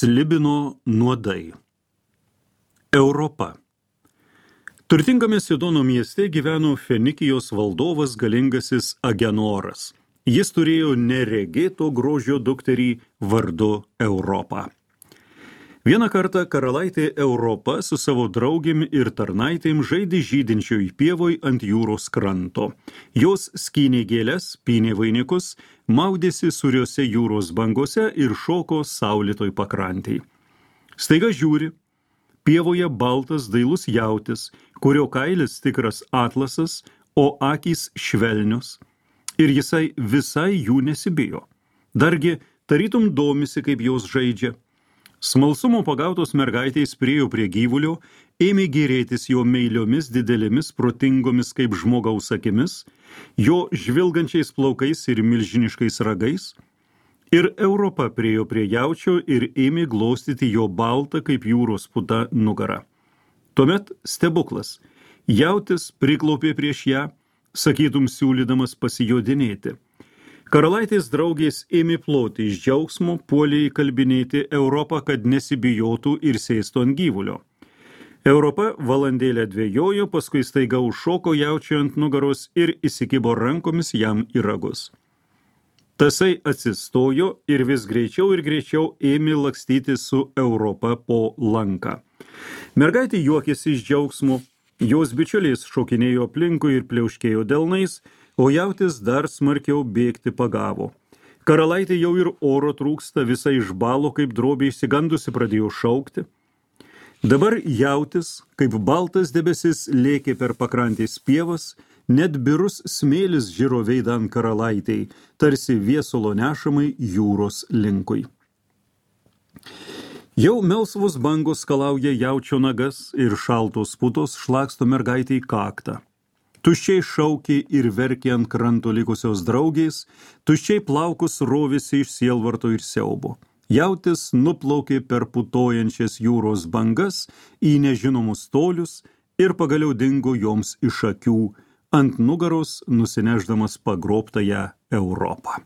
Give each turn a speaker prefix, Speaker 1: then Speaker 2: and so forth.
Speaker 1: Slibino nuodai. Europa. Turtingame Sidono mieste gyveno Fenikijos valdovas galingasis Agenoras. Jis turėjo neregėto grožio dukterį vardu Europą. Vieną kartą karalaitė Europa su savo draugėm ir tarnaitėm žaidė žydinčioj pievoj ant jūros kranto. Jos skynė gėles, pynė vainikus, maudėsi suriose jūros bangose ir šoko saulėtoj pakrantėj. Staiga žiūri, pievoje baltas dailus jautis, kurio kailis tikras atlasas, o akys švelnios. Ir jisai visai jų nesibijo. Dargi tarytum domisi, kaip jos žaidžia. Smalsumo pagautos mergaitės priėjo prie gyvulio, ėmė gėrėtis jo meiliomis didelėmis protingomis kaip žmogaus akimis, jo žvilgančiais plaukais ir milžiniškais ragais. Ir Europa priėjo prie jaučio ir ėmė glostyti jo baltą kaip jūros puta nugarą. Tuomet stebuklas. Jautis priklaupė prieš ją, sakytum siūlydamas pasijodinėti. Karalaitės draugės ėmė ploti iš džiaugsmo, puolė įkalbinėti Europą, kad nesibijotų ir sėstų ant gyvulio. Europa valandėlę dvejojo, paskui staiga užšoko jaučiui ant nugaros ir įsikibo rankomis jam į ragus. Tasai atsistojo ir vis greičiau ir greičiau ėmė lakstyti su Europa po lanką. Mergaitė juokėsi iš džiaugsmo, jos bičiuliais šokinėjo aplinkui ir pliauškėjo delnais, o jautis dar smarkiau bėgti pagavo. Karalaitė jau ir oro trūksta, visai išbalo, kaip drobė išsigandusi pradėjo šaukti. Dabar jautis, kaip baltas debesis, lėkė per pakrantės pievas, net birus smėlis žiro veidą ant karalaitei, tarsi viesulo nešamai jūros linkui. Jau melsvos bangos skalauja jaučio nagas ir šaltos putos šlaksto mergaitei kaktą. Tuščiai šaukė ir verkė ant kranto likusios draugės, tuščiai plaukus rovėsi iš sielvarto ir siaubo. Jautis nuplaukė per putojančias jūros bangas į nežinomus tolius ir pagaliau dingo joms iš akių, ant nugaros nusinešdamas pagrobtąją Europą.